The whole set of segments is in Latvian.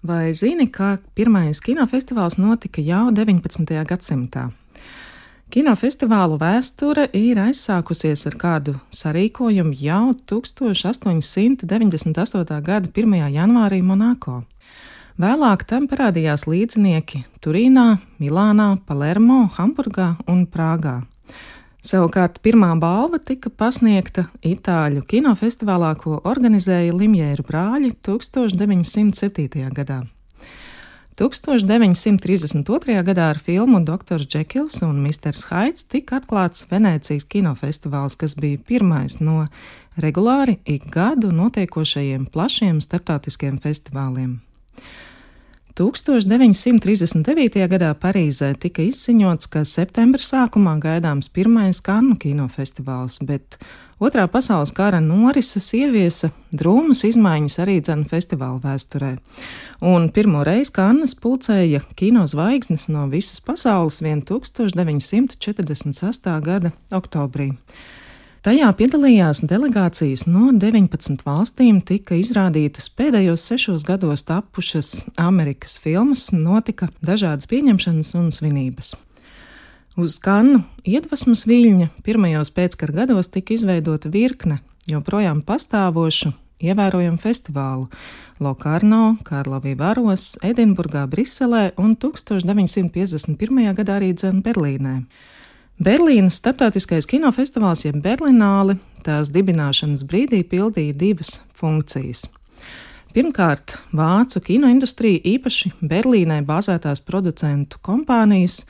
Vai zini, kā pirmais kinofestivāls notika jau 19. gadsimtā? Kinofestivālu vēsture ir aizsākusies ar kādu sarīkojumu jau 1898. gada 1. janvārī Monako. Vēlāk tam parādījās līdzinieki Turīnā, Milānā, Palermo, Hamburgā un Prāgā. Savukārt pirmā balva tika pasniegta Itāļu kinofestivālā, ko organizēja Limjēru brāļi 1907. gadā. 1932. gadā ar filmu Doktors Džekils un Misters Haids tika atklāts Venēcijas kinofestivāls, kas bija pirmais no regulāri ik gadu notiekošajiem plašiem starptautiskiem festivāliem. 1939. gadā Parīzē tika izziņots, ka septembra sākumā gaidāms pirmais Kannu kinofestivāls, bet Otrā pasaules kara norises ieviesa drūmas izmaiņas arī festivāla vēsturē. Un pirmo reizi Kannas pulcēja kinozvaigznes no visas pasaules vien 1946. gada oktobrī. Tajā piedalījās delegācijas no 19 valstīm, tika izrādītas pēdējos 6 gados tapušas Amerikas filmas, notika dažādas pieņemšanas un svinības. Uz Kannu iedvesmas viļņa pirmajos pēckara gados tika izveidota virkne joprojām pastāvošu, ievērojamu festivālu Lokarno, Karlovy Varos, Edinburgā, Briselē un 1951. gadā arī Berlīnē. Berlīnas starptautiskais kinofestivāls jeb Berlināle tās dibināšanas brīdī pildīja divas funkcijas. Pirmkārt, vācu kinoindustrija, īpaši Berlīnē bāzētās producentu kompānijas,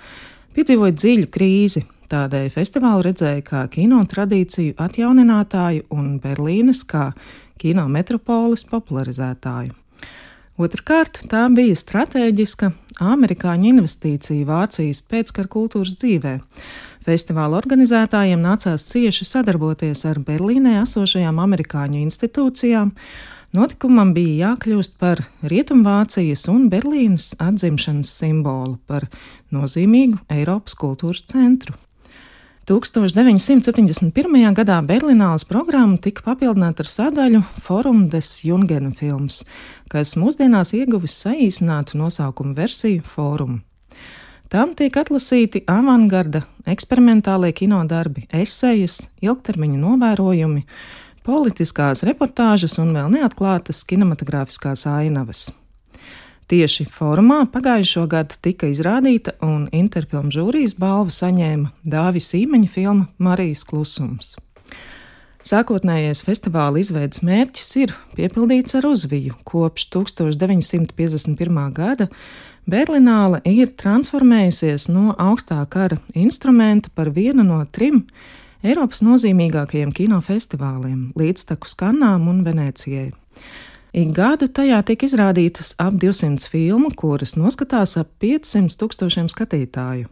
piedzīvoja dziļu krīzi, tādēļ festivālu redzēja kā kino tradīciju atjauninātāju un Berlīnes kā kino metropoles popularizētāju. Otrkārt, tā bija stratēģiska amerikāņu investīcija Vācijas pēckara kultūras dzīvē. Festivāla organizētājiem nācās cieši sadarboties ar Berlīnē esošajām amerikāņu institūcijām. Notikumam bija jākļūst par Rietumvācijas un Berlīnes atzimšanas simbolu, par nozīmīgu Eiropas kultūras centru. 1971. gadā Berlināles programma tika papildināta ar sadaļu Forum des Jungen Films, kas mūsdienās ieguvis saīsinātu nosaukumu versiju Forum. Tam tiek atlasīti avangarda eksperimentālie kinodarbi, esejas, ilgtermiņa novērojumi, politiskās reportāžas un vēl neatklātas kinematogrāfiskās ainavas. Tieši Forumā pagājušo gadu tika izrādīta un Interfilm žūrijas balvu saņēma Dāvis Īmeņa filma Marijas klusums. Sākotnējais festivāla izveides mērķis ir piepildīts ar uzviju. Kopš 1951. gada Berlināle ir transformējusies no augstā kara instrumenta par vienu no 3 Eiropas nozīmīgākajiem kinofestivāliem līdztekus Kannām un Venēcijai. Ik gadu tajā tiek izrādītas ap 200 filmu, kuras noskatās ap 500 000 skatītāju.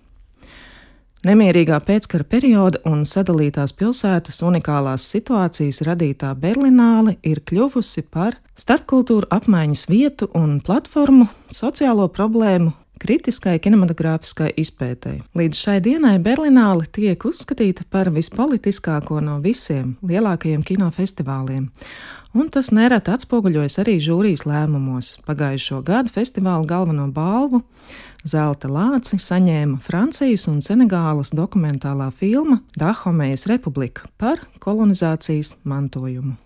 Nemierīgā pēckara perioda un sadalītās pilsētas unikālās situācijas radītā Berlināle ir kļuvusi par starpkultūru apmaiņas vietu un platformu sociālo problēmu kritiskai kinematogrāfiskai izpētei. Līdz šai dienai Berlināle tiek uzskatīta par vispolitiskāko no visiem lielākajiem kinofestivāliem, un tas nereti atspoguļojas arī žūrijas lēmumos. Pagājušo gadu festivāla galveno balvu Zelta lāci saņēma Francijas un Senegālas dokumentālā filma Dahomejas republika par kolonizācijas mantojumu.